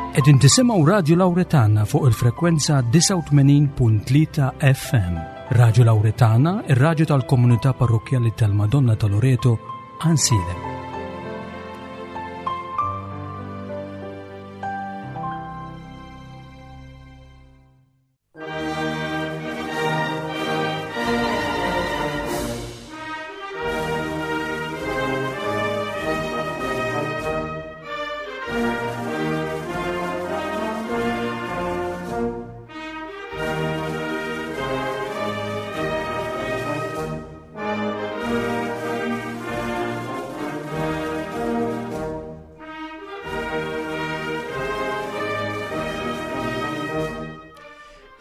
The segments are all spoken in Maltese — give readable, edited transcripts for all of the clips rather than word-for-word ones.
Qegħdin tisimgħu Radju Lawretana fuq il-frekwenza 89.3 FM. Radju Lawretana, ir-radju tal-komunità parrokkjali tal-Madonna ta' Loreto, Ansilem.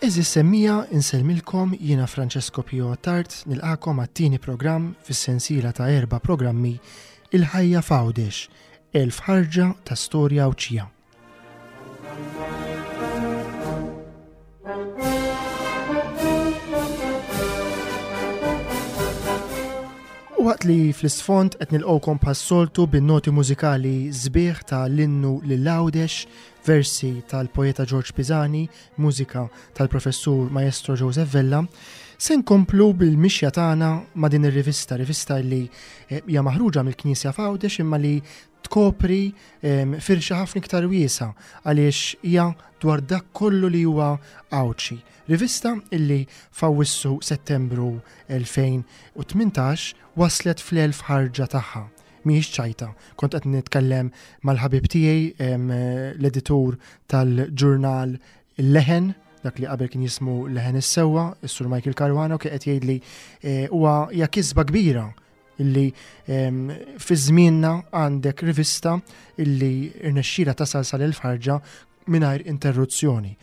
Eżis semmija insellmilkom jiena Francesco Pio Attard nilqakom għat-tieni programm fis-sensiela ta' erba' programmi Il-ħajja f'Għawdex, elf ħarġa ta' storja Għawdxija. U waqt li fl-isfond qed nilqgħukom bħas-soltu bin-noti mużikali sbieħ ta' l-innu lil Għawdex, versi tal-poeta George Pisani, mużika tal-professur Maestro Joseph Vella, se nkomplu bil-mixja tagħna ma' din ir-rivista, rivista li eh, hija maħruġa mill-Knisja f'Għawdex imma li tkopri firxa ħafna iktar wiesa għaliex hija dwar dak kollu li huwa Għawdxi. Rivista illi f'Awwissu Settembru 2018 waslet fl-1000 ħarġa tagħha. Mhijiex ċajta. Kont qed nitkellem mal-ħabib tiegħi l-editur tal-ġurnal Il-Leħen, dak li qabel kien jismu Leħen is-Sewwa, is-Sur Michael Caruana, u kien qed jgħidli eh, huwa hija kisba kbira illi ehm, fi żmienna għandek rivista illi rnexxila tasal sal-elf ħarġa mingħajr interruzzjoni.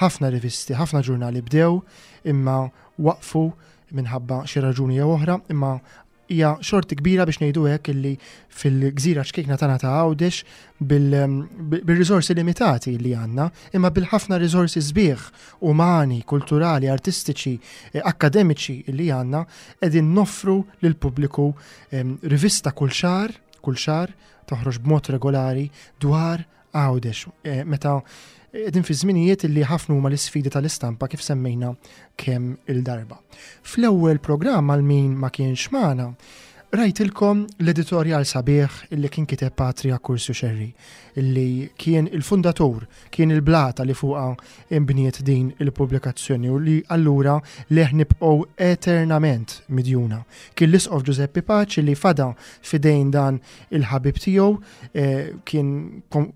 Ħafna rivisti, ħafna ġurnali bdew imma waqfu minħabba xi raġuni jew oħra, imma hija xorti kbira biex ngħidu hekk illi fil-gżira ċkejkna tagħna ta' Għawdex bil-riżorsi limitati li għandna, imma bil-ħafna riżorsi sbieħ umani, kulturali, artistiċi, eh, akkademiċi li għandna, qegħdin noffru lill-pubbliku rivista kull xahar, kull xahar toħroġ b'mod regolari dwar Għawdex, eh, meta qegħdin fi żminijiet li ħafna huma l-isfidi tal-istampa kif semmejna kemm il-darba. Fl-ewwel programm għal min ma kienx magħna, rajtilkom l-editorjal sabiħ illi kien kiteb Patri Akkursju Xerri, illi kien il-fundatur, kien il-blata li fuqha imbniet din il-pubblikazzjoni u li allura leh nibqgħu eternament midjuna. Kien l-Isqof Ġużeppi Paċi li fada f'idejn dan il-ħabib tiegħu, eh, kien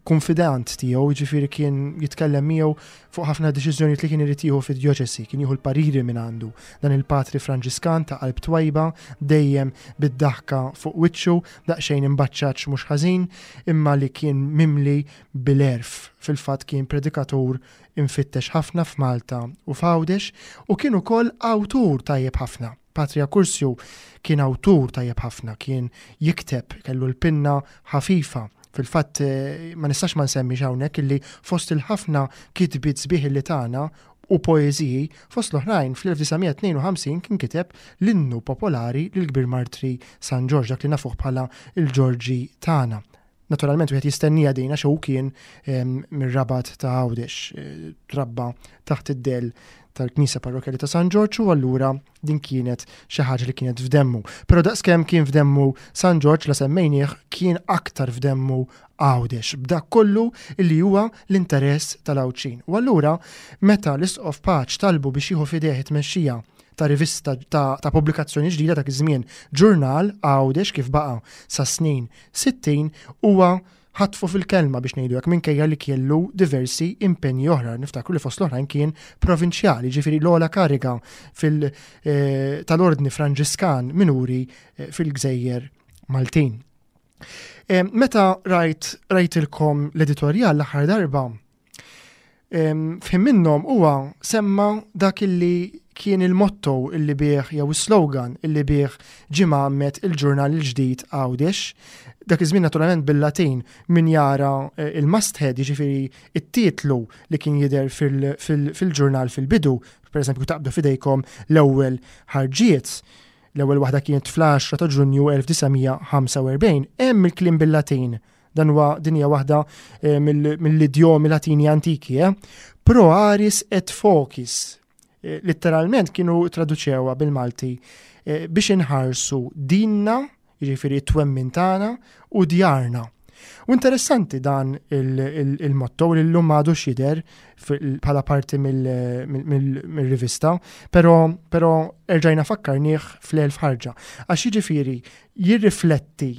konfidant tiegħu, jiġifieri kien jitkellem miegħu fuq ħafna deċiżjonijiet li kien irid jieħu fid-djoċesi, kien jieħu l-pariri minn għandu. Dan il-patri Franġiskan ta' qalb twajba, dejjem bid-daħka fuq wiċċu, daqsxejn imbaċċaċ mhux ħażin, imma li kien mimli bil-għerf. Fil-fatt kien predikatur imfittex ħafna f'Malta u f'Għawdex u kien ukoll awtur tajjeb ħafna. Patri Accursio kien awtur tajjeb ħafna, kien jikteb, kellu l-pinna ħafifa. Fil-fatt eh, ma nistax ma nsemmix hawnhekk illi fost il-ħafna kitbiet sbieħ li tagħna u poeżiji, fost l-oħrajn fl-1952 kien kiteb l-innu popolari lill-Kbir Martri San Ġorġ, dak li nafuh bħala il-Ġorġi tagħna. Naturalment wieħed jistennija din għax hu kien ehm, mir-Rabat ta' Għawdex, eh, trabba taħt id-del tal-Knisja Parrokjali ta' San Ġorġ u allura din kienet xi ħaġa li kienet f'demmu. Però daqskemm kien f'demmu San Ġorġ la semmejnieh kien aktar f'demmu Għawdex b'dak kollu li huwa l-interess tal-Għawdxin. U allura meta l-Isqof Paċ talbu biex jieħu f'idejh it-tmexxija ta' rivista ta', ta pubblikazzjoni ġdida dak iż-żmien ġurnal Għawdex kif baqa' sa snin 60 huwa ħatfu fil-kelma biex ngħidu hekk minkejja li kellu diversi impenji oħra. Niftakru li fost l-oħrajn kien provinċjali, ġifieri l-ogħla kariga fil eh, tal-Ordni Franġiskan minuri eh, fil-Gżejjer Maltin. Eh, meta rajt rajtilkom l-editorjal l-aħħar darba, F'ħin minnhom huwa semma dak illi kien il-motto illi bih jew is-slogan illi bih ġie mgħammed il-ġurnal il-ġdid Għawdex. Dak iż-żmien naturalment bil-Latin min jara eh, il-masthead, jiġifieri it-titlu li kien jidher fil-ġurnal fil-bidu, pereżempju taqbdu f'idejkom l-ewwel ħarġiet. L-ewwel waħda kienet fl-10 ta' Ġunju 1945, hemm il-kliem bil-Latin. Dan huwa din hija waħda eh, mill-idjomi Latini antiki, eh? Pro aris et focis. Eh, letteralment kienu traduċewha bil-Malti eh, biex inħarsu dinna, jiġifieri t-twemmin tagħna u djarna. U interessanti dan il-motto li llum għadu xider bħala parti mill-rivista, pero, pero erġajna fakkarnieh fl-elf ħarġa. Għax jiġifieri jirrifletti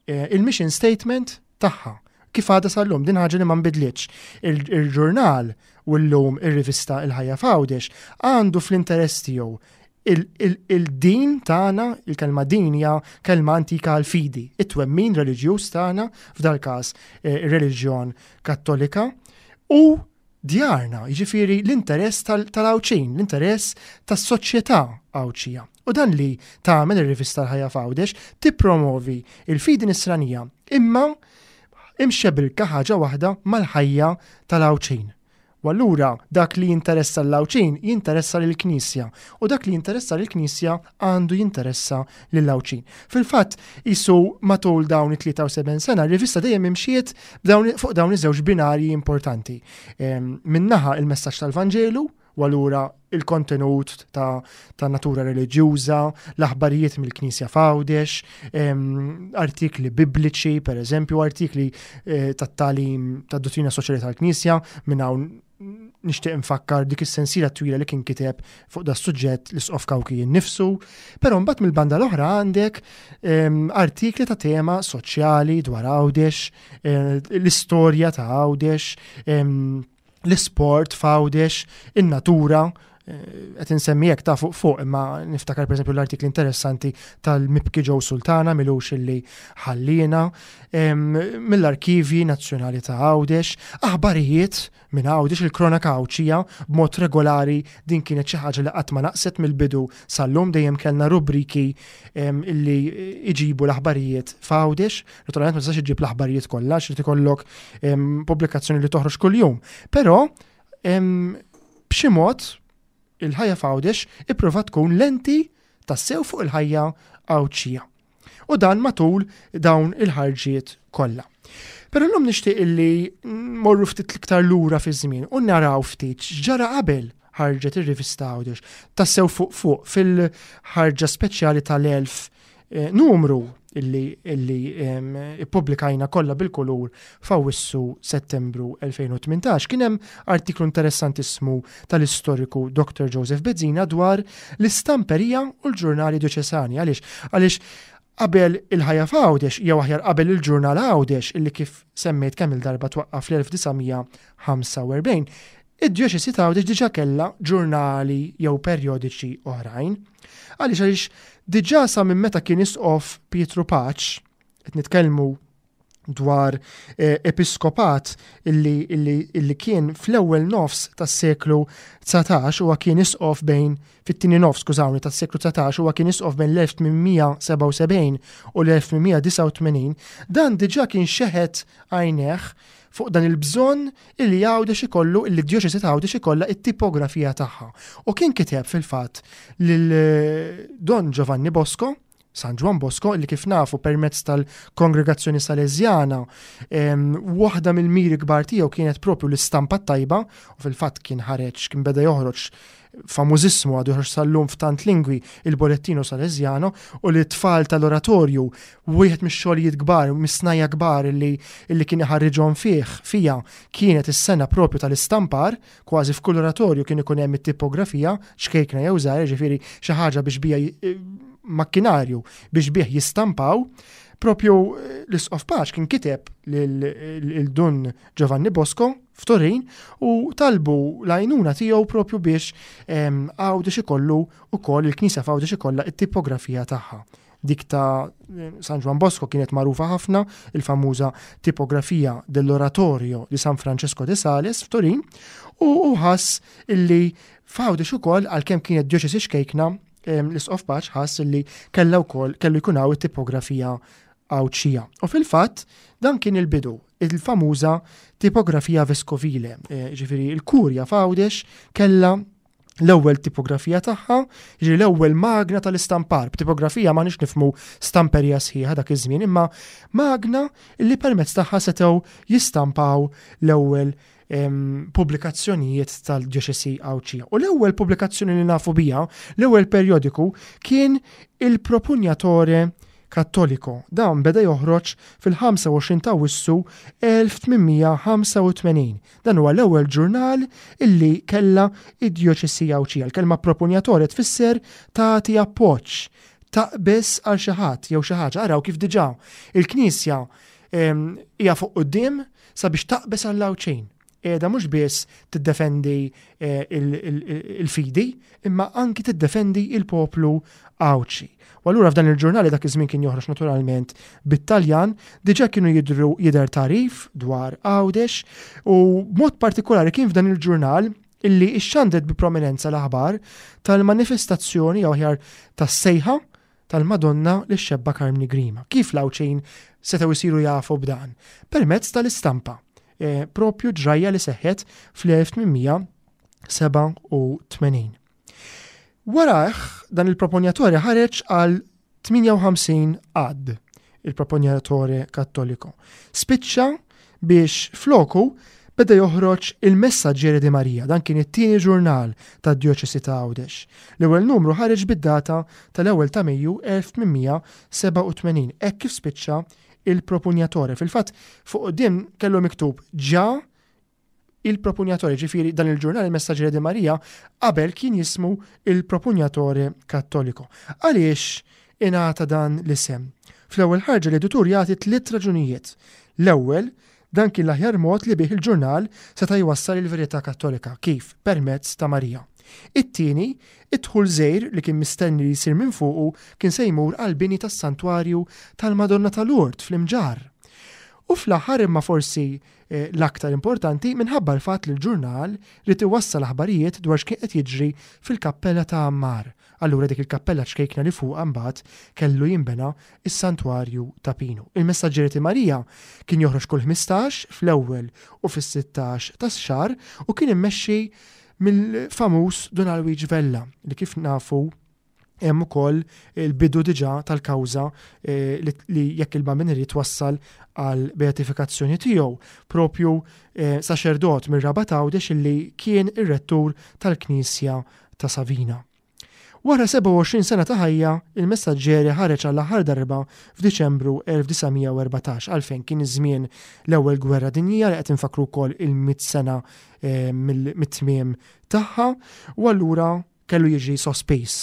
eh, il-mission statement tagħha. Kif għadha sal-lum, din ħaġa li ma nbidlitx. Il-ġurnal u llum ir-rivista Il-Ħajja f'Għawdex għandu fl-interess tiegħu il-din tagħna, il-kelma din hija kelma antika għal fidi, it-twemmin reliġjuż tagħna, f'dal każ eh, ir-reliġjon Kattolika, u djarna, jiġifieri l-interess tal-Għawdxin, l-interess tas-soċjetà Għawdxija. U dan li tagħmel ir-rivista l-Ħajja f'Għawdex tippromovi il-fidi nisranija imma imxebilka ħaġa waħda mal-ħajja tal-Għawdxin. U allura dak li jinteressa l-Għawdxin jinteressa lill-Knisja u dak li jinteressa lill-Knisja għandu jinteressa lill-Għawdxin. Fil-fatt, qisu matul dawn it-73 sena, r-rivista dejjem imxiet fuq dawn iż-żewġ binarji importanti. Ehm, Minnaħa il-messaġġ tal-Vanġelu, u allura il-kontenut ta', ta natura reliġjuża, l-aħbarijiet mill-Knisja f'Għawdex, ehm, artikli bibliċi, per eżempju, artikli eh, tat-talim tad-dottrina soċjali tal-Knisja, minn hawn nixtieq infakkar dik is-sensiela twila li kien kiteb fuq da suġġett l-Isqof Kawki innifsu, però mbagħad mill-banda l-oħra għandek ehm, artikli ta' tema soċjali dwar Għawdex, eh, l-istorja ta' Għawdex, ehm, l-isport f'Għawdex, in-natura, eh, qed insemmi hekk ta' fuq fuq, imma niftakar pereżempju l-artikli interessanti tal-Mibki Ġew Sultana milux illi ħallina, mill-Arkivji Nazzjonali ta' Għawdex, aħbarijiet minn Għawdex, il-Kronaka Għawdxija b'mod regolari din kienet xi ħaġa li qatt ma naqset mill-bidu sal-lum dejjem kellna rubriki illi iġibu l-aħbarijiet f'Għawdex. Naturalment ma tistax iġġib l-aħbarijiet kollha, xrid ikollok pubblikazzjoni li toħroġ kuljum. Però b'xi mod il-ħajja f'Għawdex ipprova tkun lenti tassew fuq il-ħajja Għawdxija. U dan matul dawn il-ħarġiet kollha. Però llum nixtieq illi morru ftit iktar lura fi żmien u naraw ftit x'ġara qabel ħarġet ir-rivista Għawdex. Tassew fuq fuq fil-ħarġa speċjali tal-1000 eh, numru illi, illi ippubblikajna kollha bil-kulur f'Awwissu Settembru 2018 kien hemm artiklu interessantissmu tal-istoriku Dr. Joseph Bezzina dwar l-istamperija u l-ġurnali djoċesani. Għaliex? Għaliex qabel il-ħajja f'Għawdex, jew aħjar qabel il-ġurnal Għawdex, illi kif semmejt kemm il-darba twaqqaf fl-1945, id-djoċesi ta' Għawdex diġà kellha ġurnali jew perjodiċi oħrajn. Għaliex għaliex diġà sa minn meta kien isqof Pietru Paċ, qed nitkellmu dwar eh, episkopat illi, illi, illi kien fl-ewwel nofs tas-seklu 19 huwa kien isqof bejn fit-tieni nofs skużawni tas-seklu 19 huwa kien isqof bejn l-1877 u l-1889 dan diġà kien xeħet għajneh fuq dan il-bżonn illi Għawdex ikollu illi d-djoċesi ta' Għawdex ikollha it-tipografija tagħha. U kien kiteb fil-fatt lil eh, Don Giovanni Bosco, San Ġwann Bosco, li kif nafu permezz tal-Kongregazzjoni Salesjana, waħda mill-miri kbar tiegħu kienet propju l-istampa tajba, u fil-fatt kien ħareġ, kien beda joħroġ famużissmu għadu joħroġ sal-lum f'tant lingwi il-Bollettino Salesiano u li tfal tal-oratorju wieħed mix-xogħlijiet kbar, mis-snajja kbar li, li kien iħarriġhom fih fija kienet is-sena propju tal-istampar Kważi f'kull oratorju kien ikun hemm it-tipografija, ċkejkna jew żgħira, jiġifieri xi ħaġa biex bija eh, makkinarju biex bih jistampaw. Propju eh, l-Isqof Paċ kien kiteb lil Dun Giovanni Bosco f'Turin u talbu l-għajnuna tiegħu propju biex ehm, Għawdex ikollu ukoll il-Knisja f'Għawdex ikollha it-tipografija tagħha. Dik ta' San Ġwann Bosco kienet magħrufa ħafna, il-famuża tipografija dell'Oratorio di San Francesco de Sales f'Turin, u ħass illi f'Għawdex ukoll għalkemm kienet djoċesi xkejkna, l-Isqof Paċ ħass illi kellha wkoll kellu jkun hawn it-tipografija Għawdxija. U fil-fatt dan kien il-bidu, il-famuża tipografija veskovile, eh, ġifieri il-kurja f'Għawdex kellha l-ewwel tipografija tagħha, jiġri l-ewwel magna tal-istampar. B'tipografija ma nix nifmu stamperija sħiħa dak iż-żmien, imma magna li permezz tagħha setgħu jistampaw l-ewwel pubblikazzjonijiet tal-djoċesi Għawdxija. U l-ewwel pubblikazzjoni li nafu biha, l-ewwel perjodiku, kien il-Propugnatore Cattolico. Dan beda joħroġ fil-25 ta' Awwissu 1885. Dan huwa l-ewwel ġurnal illi kellha id-djoċesi Għawdxija. Il-kelma propugnatore tfisser tagħti appoġġ, taqbeż għal xi ħadd jew xi ħaġa. Araw kif diġà il-Knisja hija fuq quddiem sabiex taqbeż għall-Għawdxin. Qiegħda mhux biss tiddefendi eh, il-fidi, imma anki tiddefendi il-poplu Għawdxi. U allura f'dan il-ġurnali dak iż-żmien kien joħroġ naturalment bit-Taljan, diġà kienu jidru jidher tarif dwar Għawdex u b'mod partikolari kien f'dan il-ġurnal illi ixxandret bi prominenza l-aħbar tal-manifestazzjoni jew aħjar tas-sejħa tal-Madonna lix-xebba Karmni Grima. Kif l-Għawdxin setgħu jsiru jafu b'dan? Permezz tal-istampa. E, propju ġrajja li seħħet fl-1887. Warajh dan il-proponjatore ħareġ għal 58 ad, il-proponjatore Kattolico. Spiċċa biex floku beda joħroġ il-Messaggere di Maria, dan kien it-tieni ġurnal tad-Djoċesi ta' Għawdex. L-ewwel numru ħareġ bid-data tal-ewwel ta' Mejju 1887, hekk kif spiċċa il-Propugnatore. Fil-fatt, fuq quddiem kellu miktub ġa il-Propugnatore, ġifieri dan il-ġurnal il-Messaggere di Maria qabel kien jismu il-Propugnatore Cattolico. Għaliex ingħata dan l-isem? Fl-ewwel ħarġa l-editur jagħti tliet raġunijiet. L-ewwel, dan kien l-aħjar mod li bih il-ġurnal seta' jwassal il-verità Kattolika, kif? Permezz ta' Marija. It-tieni, id-dħul żgħir li kien mistenni li jsir minn fuqu kien se jmur għall-bini tas-Santwarju tal-Madonna ta' Lourdes fl-Imġarr. U fl-aħħar imma forsi L-aktar importanti minħabba l-fatt li l-ġurnal ried iwassal aħbarijiet dwar x'kien qed jiġri fil-kappella ta' Għammar, allura dik il-kappella ċkejkna li fuqha mbagħad kellu jinbena s-Santwarju ta' Pinu. Il-Messaġġieri ti Marija kien joħroġ kull 15, fl-ewwel u fis-sittax tax-xahar u kien immexxi mill-famuż Dun Alwiġ Vella li kif nafu Hemm ukoll il-bidu diġà tal-kawża eh, li jekk il-Bambin irid twassal għal beatifikazzjoni tiegħu, propju eh, saċerdot mir-Rabat Għawdex illi kien ir-rettur tal-Knisja ta' Savina. Wara 27 sena ta' ħajja, il-Messaġġeri ħareġ għall-aħħar darba f'Diċembru 1914 għalfejn kien iż-żmien l-Ewwel Gwerra Dinjija li qed infakkru wkoll il-mit sena eh, mit-tmiem tagħha u allura Kellu jiġi sospiż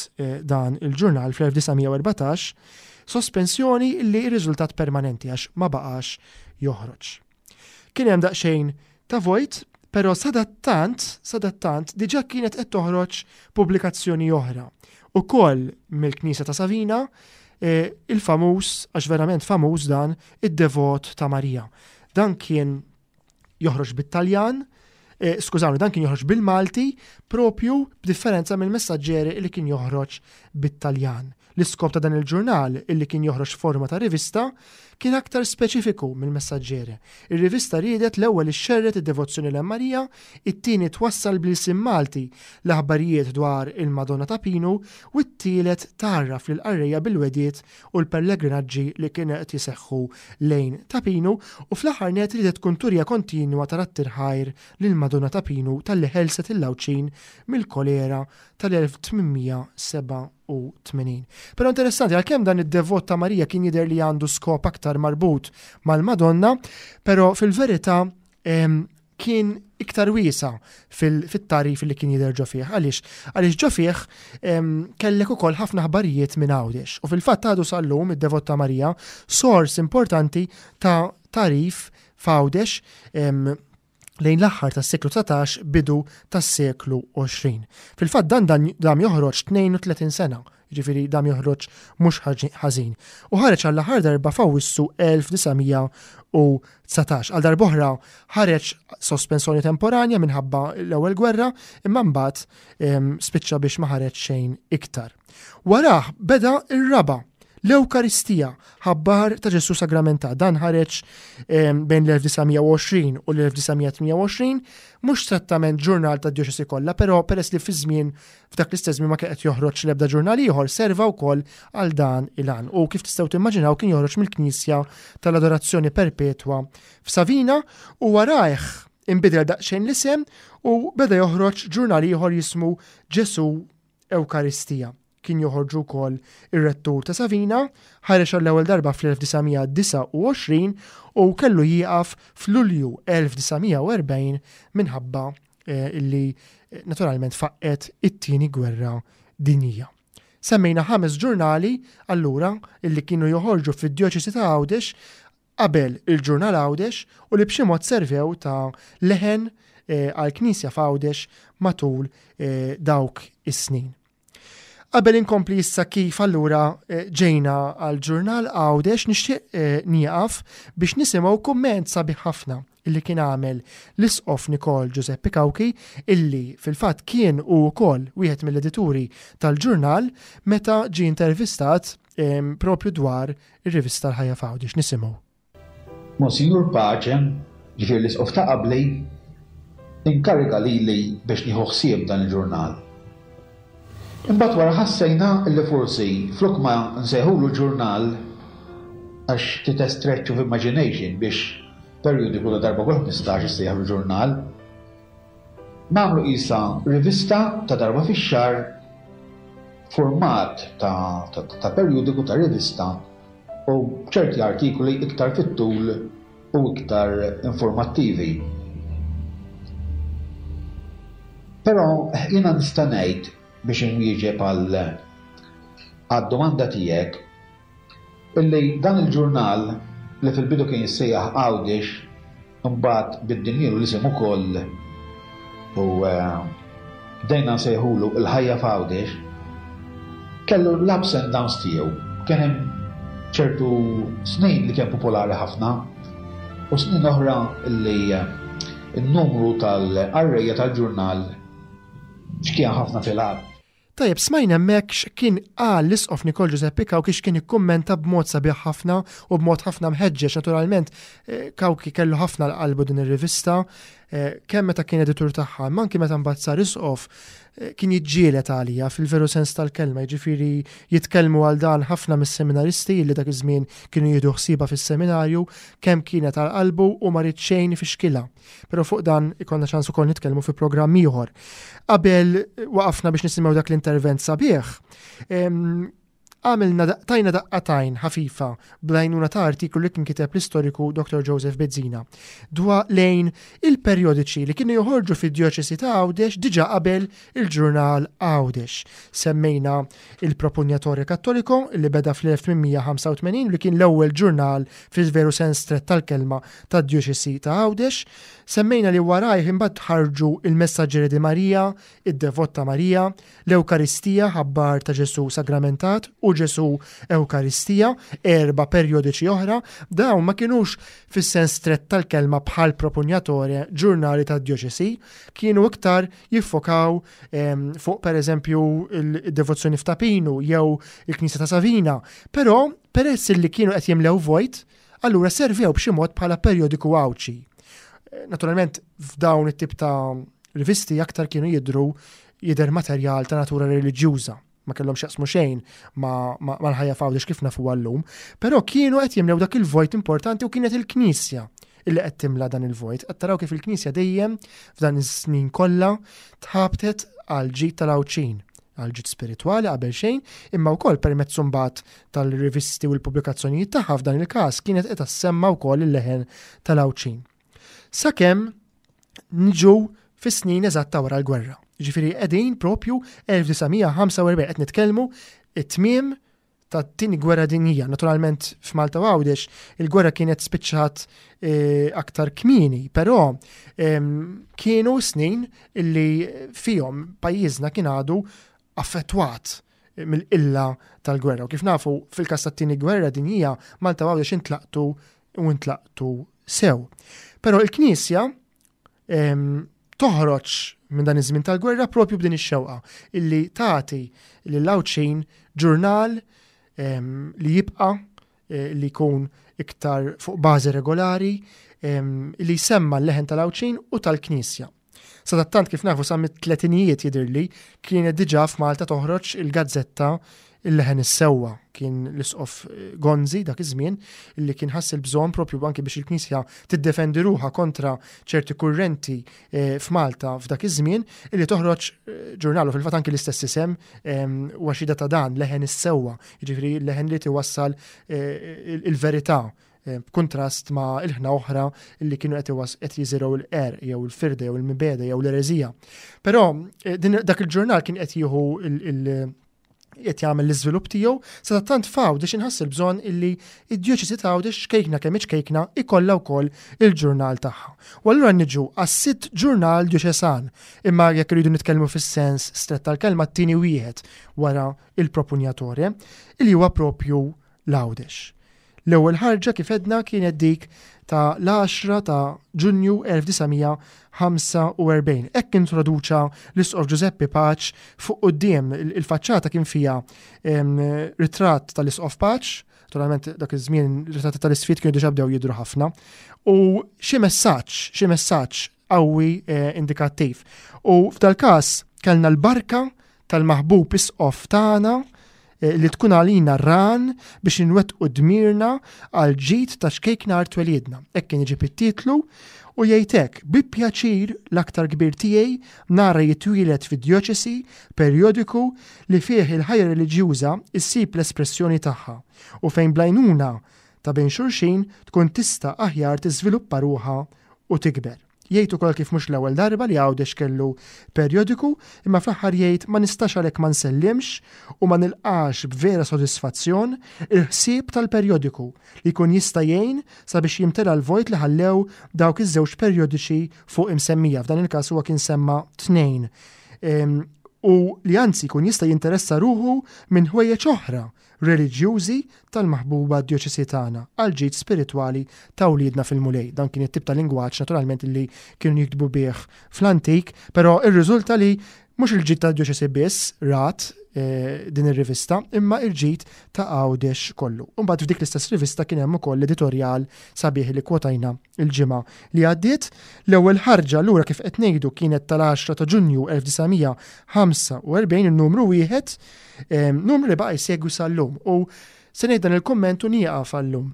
dan il-ġurnal fl-1914, sospensjoni li rriżultat permanenti għax ma baqax joħroġ. Kien hemm daqsxejn ta' vojt, però sadattant, sadattant diġà kienet qed toħroġ pubblikazzjoni oħra. Ukoll mill-Knisja ta' Savina, eh, il-famuż, għax verament famuż dan, id-devot ta' Marija. Dan kien joħroġ bit-Taljan, eh, skużawni, dan kien joħroġ bil-Malti propju b'differenza mill-messaġġeri li kien joħroġ bit-Taljan. L-iskop ta' dan il-ġurnal, illi kien joħroġ forma ta' rivista, kien aktar speċifiku mill-messaġġeri. Ir-rivista riedet l-ewwel ixxerred id-devozzjoni lejn Marija, it-tieni twassal bl-ilsien Malti l-aħbarijiet dwar il-Madonna ta' Pinu u t-tielet tgħarraf lill-qarrejja bil-wegħdiet u l-pellegrinaġġi li kienu qed jiseħħu lejn Ta' Pinu u fl-aħħar nett riedet tkun turija kontinwa ta' radd il-ħajr lill-Madonna Ta' Pinu talli ħelset lill-Għawdxin mill-kolera tal-1887. Però interessanti għalkemm dan id-devot ta' Marija kien jidher li għandu skop aktar marbut mal-Madonna, però fil-verità kien iktar wiesa fit-tagħrif li kien jidher ġo fih. Għaliex? Għaliex ġo fih kellek ukoll ħafna aħbarijiet minn Għawdex. U fil-fatt għadu sal-lum id-Devot ta' Marija sors importanti ta' tagħrif f'Għawdex lejn l-aħħar tas-seklu 19 bidu tas-seklu 20. Fil-fatt dan dam joħroġ 32 sena jiġifieri dam joħroġ mhux ħażin. U ħareġ għall-aħħar darba f'Awwissu 1919. Għal darb'oħra ħareġ sospensjoni temporanja minħabba l-ewwel gwerra, imma mbagħad spiċċa biex ma ħareġ xejn iktar. Warah beda r-raba' L-Ewkaristija, ħabbar ta' Ġesù Sagramentat. Dan ħareġ bejn l-1920 u l-1928, mhux strettament ġurnal tad-djoċesi kollha, però peress li fiż-żmien f'dak l-istess żmien ma kien qed joħroġ l-ebda ġurnal ieħor, serva wkoll għal dan il-għan. U kif tistgħu timmaġinaw kien joħroġ mill-Knisja tal-Adorazzjoni Perpetwa f'Savina u warajh inbidel daqsxejn l-isem u beda joħroġ ġurnal ieħor jismu Ġesù Ewkaristija. Kien joħorġu wkoll ir-Rettur ta' Savina, ħareġ għall-ewwel darba fl-1929 u kellu jieqaf f'Lulju 1940 minħabba eh, illi eh, naturalment faqqet it-tieni gwerra dinjija. Semmejna ħames ġurnali allura illi kienu joħorġu fid-djoċesi ta' Għawdex qabel il-ġurnal Għawdex u li b'xi mod servew ta' leħen eh, għall-Knisja f'Għawdex matul eh, dawk is-snin. Qabel inkompli issa kif allura eh, ġejna għal ġurnal Għawdex nixtieq nieqaf biex nisimgħu kumment sabiħ ħafna illi kien għamel l-Isqof Nikol Giuseppe Cauchi illi fil-fatt kien hu wkoll wieħed mill-edituri tal-ġurnal meta ġie intervistat propju dwar ir-rivista L-Ħajja f'Għawdex. Nisimgħu. Monsinjur Pace, ġifieri l-Isqof ta' qabli, inkariga lili biex nieħu ħsieb dan il-ġurnal. Imbagħad wara ħassejna li forsi flok ma nsejħulu ġurnal, għax ftit a stretch of imagination biex perjodiku ta' darba kull 15 issejjaħlu ġurnal, nagħmlu qisha rivista ta' darba fix-xahar f'format ta' ta' perjodiku ta' rivista u b'ċerti artikoli iktar fit-tul u iktar informattivi. Però jiena nista' ngħid biex inwieġeb għal għad-domanda tiegħek illi dan il-ġurnal li fil-bidu kien jissejjaħ Għawdex Imbagħad biddilnielu l-isem ukoll u bdejna nsejħulu Il-Ħajja f'Għawdex. Kellu l-ups and downs tiegħu. Kien hemm ċertu snin li kien popolari ħafna u snin oħra li n-numru tal-qarrejja tal-ġurnal xkien ħafna fil-għadd. Tajjeb, smajna hemmhekk x'kien qal l-Isqof Nikol Ġużeppi Cauchi x'kien ikkummenta b'mod sabiħ ħafna u b'mod ħafna mħeġġeġ. Naturalment, eh, Cauchi kellu ħafna l-qalbu din ir-rivista, eh, kemm meta kien editur tagħha, imma anki meta mbagħad sar isqof, eh, kien jiġġieled għalija fil-veru sens tal-kelma, jiġifieri jitkellmu għal dan ħafna mis-seminaristi li dak iż-żmien kienu jieħdu ħsiebha fis-seminarju, kemm kienet għal qalbu u ma ried xejn ifixkilha. Però fuq dan ikollna ċans ukoll nitkellmu fi programm ieħor. Qabel waqafna biex nisimgħu dak l-intervent sabiħ, għamilna tajna daqqatajn ħafifa bl-għajnuna ta' artiklu li kien kiteb l-istoriku Dr. Joseph Bezzina dwa lejn il-perjodiċi li kienu joħorġu fid-djoċesi ta' Għawdex diġa qabel il-ġurnal Għawdex. Semmejna il-Propugnatore Cattolico li beda fl-1885 li kien l-ewwel ġurnal fil-veru sens strett tal-kelma tad-Djoċesi ta' Għawdex. Semmejna li warajh imbagħad ħarġu il-Messaggere di Maria, id-Devot ta' Marija, l-Ewkaristija, Ħabbar ta' Ġesù Sagramentat u Ġesù Ewkaristija, erba' perjodiċi oħra. Dawn ma kinux fis-sens strett tal-kelma bħal Propugnatore, ġurnali tad-djoċesi, kienu iktar jiffokaw ehm, fuq pereżempju il-devozzjoni f'Ta' Pinu jew il-Knisja ta' Savina, però peress li kienu qed jimlew vojt, allura servew b'xi mod bħala perjodiku Għawdxi. Eh, naturalment f'dawn it-tip ta' rivisti aktar kienu jidru jidher materjal ta' natura reliġjuża ma kellhom x'jaqsmu xejn mal-ħajja f'Għawdex kif nafuha llum, però kienu qed jimlew dak il-vojt importanti u kienet il-Knisja illi qed timla dan il-vojt. Qed taraw kif il-Knisja dejjem f'dan is-snin kollha tħabtet għal ġid tal-Għawdxin, għal ġid spiritwali qabel xejn, imma wkoll permezz imbagħad tal-rivisti u l-pubblikazzjonijiet tagħha f'dan il-każ kienet qed tassemma wkoll il-leħen tal-Għawdxin. Sakemm niġu fis-snin eżatt ta' wara l-gwerra. Ġifieri qegħdin propju 1945 qed nitkellmu it-tmiem tat-tieni gwerra dinjija. Naturalment f'Malta u Għawdex il-gwerra kienet spiċċat eh, aktar kmieni, però ehm, kienu snin illi fihom pajjiżna kien għadu affettwat mill-qilla tal-gwerra. U kif nafu fil-każ tat-tieni gwerra dinjija Malta u Għawdex intlaqtu u intlaqtu sew. Però il-Knisja ehm, toħroġ minn dan iż-żmien tal-gwerra propju b'din ix-xewqa illi tagħti lil Għawdxin ġurnal li jibqa' eh, li jkun iktar fuq bażi regolari, li jsemma l-leħen tal-Għawdxin u tal-Knisja. Sadattant kif nafu sa mit-tletinijiet jidhirli kienet diġà f'Malta toħroġ il-gazzetta Il-Leħen is-Sewwa. Kien l-Isqof eh, Gonzi dak iż-żmien li kien ħass il-bżonn propju anki biex il-Knisja tiddefendi ruħha kontra ċerti kurrenti eh, f'Malta f'dak iż-żmien illi toħroġ eh, ġurnal u fil-fatt anki l-istess isem huwa xhieda ta' dan Leħen is-Sewwa, jiġifieri leħen li tiwassal il-verità Eh, b'kuntrast ma' ilħna oħra li kienu qed qed jiżirgħu l-qerq jew il-firda jew il-mibeda jew l-ereżija. Però eh, dak il-ġurnal kien qed jieħu il- qed jagħmel l-iżvilupp tiegħu, sa tant f'Għawdex inħass il-bżonn illi id-djoċesi ta' Għawdex xkejkna kemm ċkejkna ikollha wkoll il-ġurnal tagħha. U allura niġu għas-sitt ġurnal djoċesan, imma jekk irridu nitkellmu fis-sens strett tal-kelma t-tieni wieħed wara il-propunjatore, illi huwa propju l-Għawdex. L-ewwel ħarġa kif għedna kienet dik ta' l-10 ta' Ġunju 1945. Hekk introduċa l-Isqof Ġużeppi Paċ fuq quddiem il-faċċata kien fiha ritratt tal-Isqof Paċ, naturalment dak iż-żmien ritratti tal-isfid kienu diġà bdew jidhru ħafna, u xi messaġġ, xi messaġġ qawwi eh, indikattiv. U f'dal-każ kellna l-barka tal-maħbub isqof tagħna eh, li tkun għalina ran biex inwettqu dmirna għal ġid ta' xkejkna art twelidna. Hekk kien iġib it-titlu u jgħid hekk, bi pjaċir l-aktar kbir tiegħi nara jitwieled fid-djoċesi perjodiku li fih il-ħajja reliġjuża issib l-espressjoni tagħha u fejn bl-għajnuna ta' bejn xulxin tkun tista' aħjar tiżviluppa ruħha u tikber. Jgħid ukoll kif mhux l-ewwel darba li Għawdex kellu perjodiku, imma fl-aħħar jgħid ma nistax għalhekk ma nsellimx u ma nilqax b'vera sodisfazzjon il-ħsieb tal-perjodiku li jkun jista' jgħin sabiex jimtela l-vojt li ħallew dawk iż-żewġ perjodiċi fuq imsemmija, f'dan il-każ huwa kien semma tnejn, ehm, u li anzi jkun jista' jinteressa ruħu minn ħwejjeġ oħra reliġjużi tal-maħbuba djoċesi tagħna għall-ġid spiritwali ta' wliedna fil-Mulej. Dan kien it-tip ta' lingwaġġ naturalment li kienu jiktbu bih fl-antik, però irriżulta li mhux il-ġid tad-djoċesi biss rat eh, din ir-rivista, imma il-ġid ta' Għawdex kollu. Imbagħad f'dik l-istess rivista kien hemm ukoll l-editorjal sabiħ li kwotajna il-ġimgħa li għaddiet. L-ewwel ħarġa lura kif qed ngħidu kienet tal-10 ta' Ġunju 1945 in-numru wieħed, numru li baqa' jsegwi sal-lum. U se ngħid dan il-kumment u nieqaf għallum.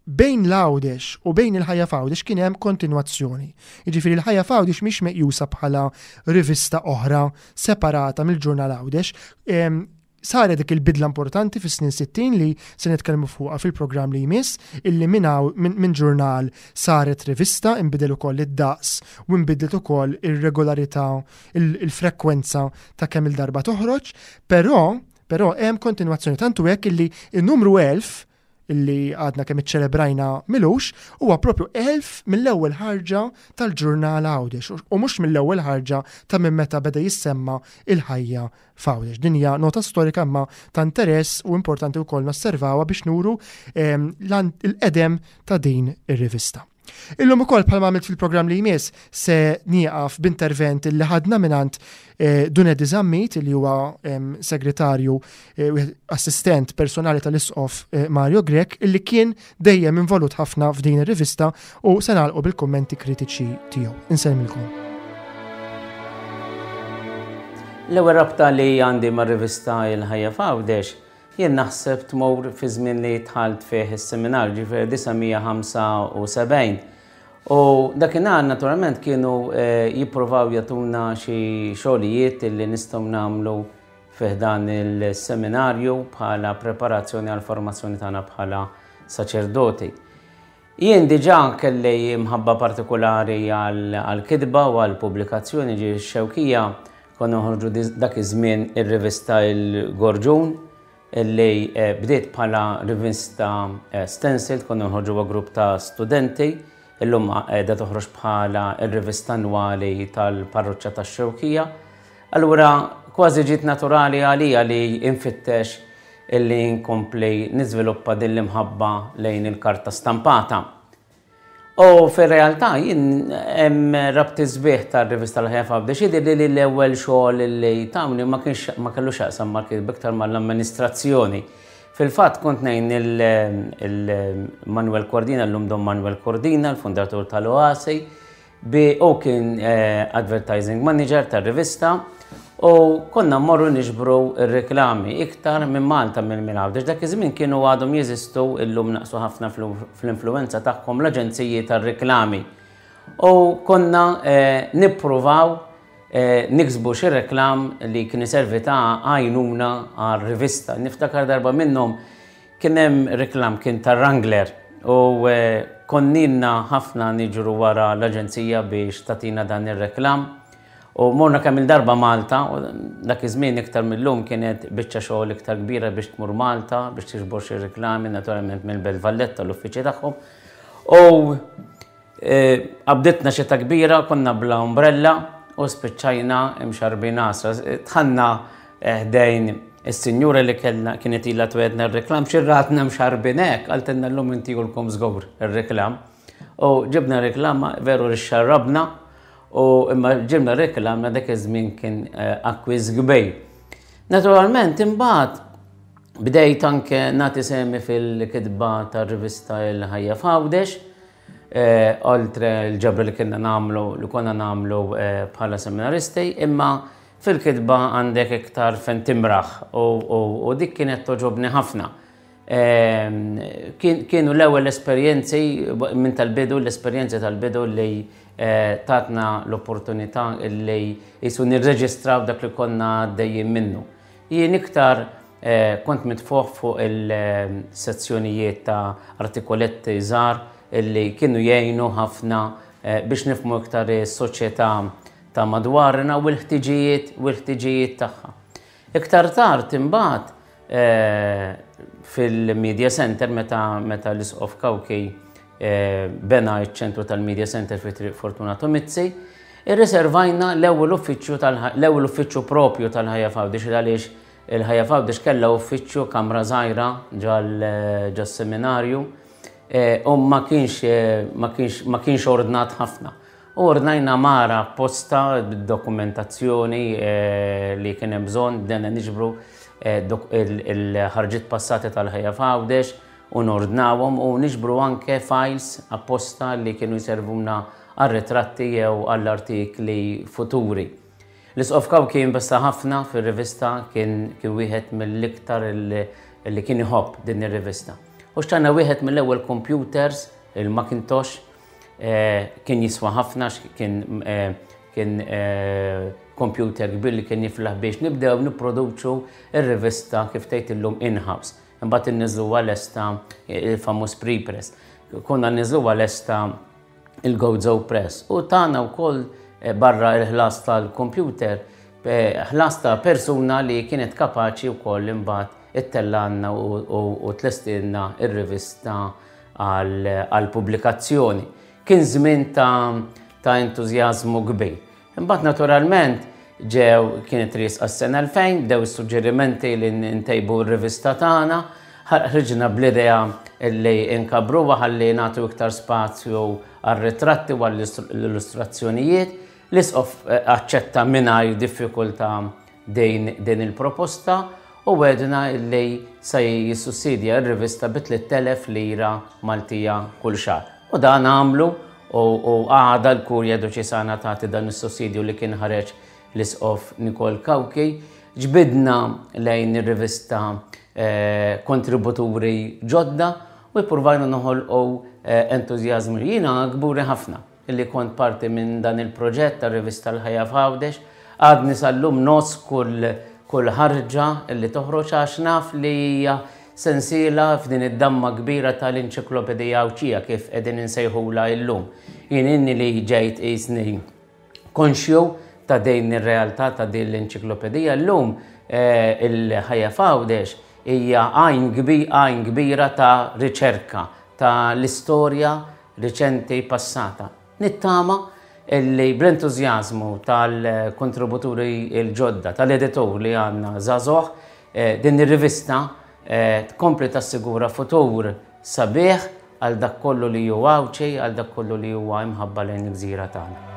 Bejn l-Għawdex u bejn il-ħajja f'Għawdex kien hemm kontinwazzjoni. Jiġifieri l-ħajja f'Għawdex mhix meqjusa bħala rivista oħra separata mill-ġurnal Għawdex. Saret dik il-bidla importanti fis-snin 60 li se nitkellmu fuqha fil-programm li jmiss, illi minn min ġurnal saret rivista, inbidel ukoll id-daqs u nbidlet ukoll ir-regolarità, il-frekwenza ta' kemm il-darba toħroġ, però però hemm kontinwazzjoni tantu hekk illi n-numru 1000 illi għadna kemm iċċelebrajna milux, huwa propju 1000 mill-ewwel ħarġa tal-ġurnal Għawdex u mhux mill-ewwel ħarġa ta' minn meta beda jissemma il-ħajja f'Għawdex. Din hija nota storika imma ta' interess u importanti wkoll nosservawha biex nuru ehm, l-qedem ta' din ir-rivista. Illum ukoll bħalma għamilt fil-programm li jmiss se nieqaf b'intervent li ħadna mingħand eh, Dun Eddie Zammit li huwa segretarju eh, assistent personali tal-Isqof eh, Mario Grech illi kien dejjem involut ħafna f'din ir-rivista u se nagħlqu bil-kummenti kritiċi tiegħu. Insellmilkom. L-ewwel rabta li għandi mar-rivista Il-Ħajja f'Għawdex Jien naħseb tmur fi żmien li dħalt fih is-seminarju, ġifieri 1975. U dakinhar naturalment kienu eh, jippruvaw jagħtuna xi xogħlijiet li nistgħu nagħmlu fih dan il-seminarju bħala preparazzjoni għal formazzjoni tagħna bħala saċerdoti. Jien diġà kelli mħabba partikulari għall-kitba u għall-pubblikazzjoni ġi x-Xewkija konna noħorġu dak iż-żmien ir-rivista Il-Gorġun illi eh, bdiet bħala rivista eh, stencil konna noħorġuha grupp ta' studenti illum qiegħda toħroġ bħala r-rivista annwali tal-parroċċa tax-Xewkija. Allura kważi ġiet naturali għalija li infittex illi nkompli niżviluppa din l-imħabba lejn il-karta stampata. U fir-realtà jien hemm rabti sbieħ tar-rivista l-Ħajja f'Għawdex jidhirli li l-ewwel xogħol li tawni ma kienx ma kellux x'jaqsam mal-kitba iktar mal-amministrazzjoni. Fil-fatt kont ngħin il-Manuel Cordina, llum Don Manuel Cordina, l-fundatur tal-Oasi, Bi hu kien advertising manager tar-rivista u konna mmorru niġbru r-reklami iktar minn Malta minn minn Għawdex. Dak iż-żmien kienu għadhom jeżistu illum naqsu ħafna fl-influwenza tagħhom l-aġenziji tar-reklami. U konna nippruvaw niksbu xi reklam li kien iservi ta' għajnuna għar-rivista. Niftakar darba minnhom Kien hemm reklam kien tar-Wrangler u konninna ħafna niġru wara l-aġenzija biex tagħtina dan ir-reklam. U morna kemm il-darba Malta, u dak iż-żmien iktar mil-lum kienet biċċa xogħol iktar kbira biex tmur Malta biex tiġbor xi reklami naturalment mill-Belt Valletta l-uffiċċji tagħhom. U Qabditna xita kbira, konna bla umbrella u spiċċajna imxarbin għasra. Dħalna ħdejn is-sinjura li kellna kienet ilha twedna r-reklam, xi ratna mxarbin hekk, qaltilna llum intihulkom żgur ir-reklam. U ġibna reklam veru li xarrabna u imma ġibna reklam dak iż-żmien kien akkwist kbir. Naturalment imbagħad bdejt anke nagħti sehmi fil-kitba tar-rivista Il-Ħajja f'Għawdex, oltre l-ġabra li kienna nagħmlu li konna nagħmlu bħala seminaristi, imma fil-kitba għandek iktar fejn timraħ u dik kienet togħġobni ħafna. Kienu l-ewwel esperjenzi minn tal-bidu, l-esperjenzi tal-bidu li tatna l-opportunità li qisu nirreġistraw dak li konna għaddejjin minnu. Jien iktar kont mitfugħ fuq il-sezzjonijiet ta' artikoletti żgħar li kienu jgħinu ħafna biex nifhmu iktar is-soċjetà ta' madwarna u l-ħtiġijiet u l-ħtiġijiet tagħha. Iktar tard imbagħad fil-Media Center meta meta l-Isqof Cauchi bena ċ-ċentru tal-Media Center fi Triq Fortunato Mizzi, irriservajna l-ewwel uffiċċju tal-ewwel uffiċċju propju tal-Ħajja f'Għawdex għaliex il-Ħajja f'Għawdex kellha uffiċċju kamra żgħira ġas-seminarju u ma kienx ma kienx ma kienx ordnat ħafna. U ordnajna mara apposta bid-dokumentazzjoni li kien hemm bżonn, bdejna niġbru il-ħarġiet passati tal-Ħajja f'Għawdex, u nordnawhom u niġbru anke files apposta li kienu jservuna għar-ritratti jew għall-artikli futuri. L-Isqof Cauchi investa ħafna fir-rivista, kien kien wieħed mill-iktar li kien iħobb din ir-rivista. U xtrajna wieħed mill-ewwel computers, il-Macintosh, kien jiswa ħafna kien kien computer kbir li kien jiflaħ biex nibdew nipproduċu r-rivista kif tgħid illum in-house. Imbagħad inniżżluha lesta il-famuż pre-press. Konna nniżżluha lesta il-Gozo Press u tana wkoll eh, barra il-ħlas tal-computer eh, ħlas ta' persuna li kienet kapaċi wkoll imbagħad ittellanna u tlestilna ir-rivista għal-pubblikazzjoni. Kien żmien ta' entużjażmu kbir. Imbagħad naturalment ġew kienet riesqa s-sena 2000, bdew is-suġġerimenti li ntejbu r-rivista tagħna, ħriġna bl-idea li nkabbruha ħalli nagħtu iktar spazju għar-ritratti u għall-illustrazzjonijiet. L-Isqof aċċetta mingħajr diffikultà din din il-proposta u wegħdna li se jissussidja r-rivista bi 3,000 lira Maltija kull xahar. U dan għamlu u għada l-Kurja Doċesana tagħti dan is-sussidju li kien ħareġ l-Isqof Nikol Cauchi. Ġbidna lejn ir-rivista kontributuri ġodda u ppurvajna noħolqu entużjażmu. Jiena kburi ħafna li kont parti minn dan il-proġett tar-rivista L-Ħajja f'Għawdex. Għadni sal-lum ngħożż kull kull ħarġa li toħroġ għax naf li hija sensiela f'din id-damma kbira tal-Enċiklopedija Għawdxija kif qegħdin insejħulha illum. Jien inni li ġejt qisni konxju ta' din ir-realtà ta' din l-enċiklopedija llum il-Ħajja f'Għawdex hija għajn għajn kbira ta' riċerka ta' l-istorja riċenti passata. Nittama li bl-entużjażmu tal-kontributuri l-ġodda, tal-editur li għandna żagħżugħ, din ir-rivista tkompli tassigura futur sabiħ għal dak kollu li hu Għawdxi, għal dak kollu li huwa imħabba lejn il-gżira tagħna.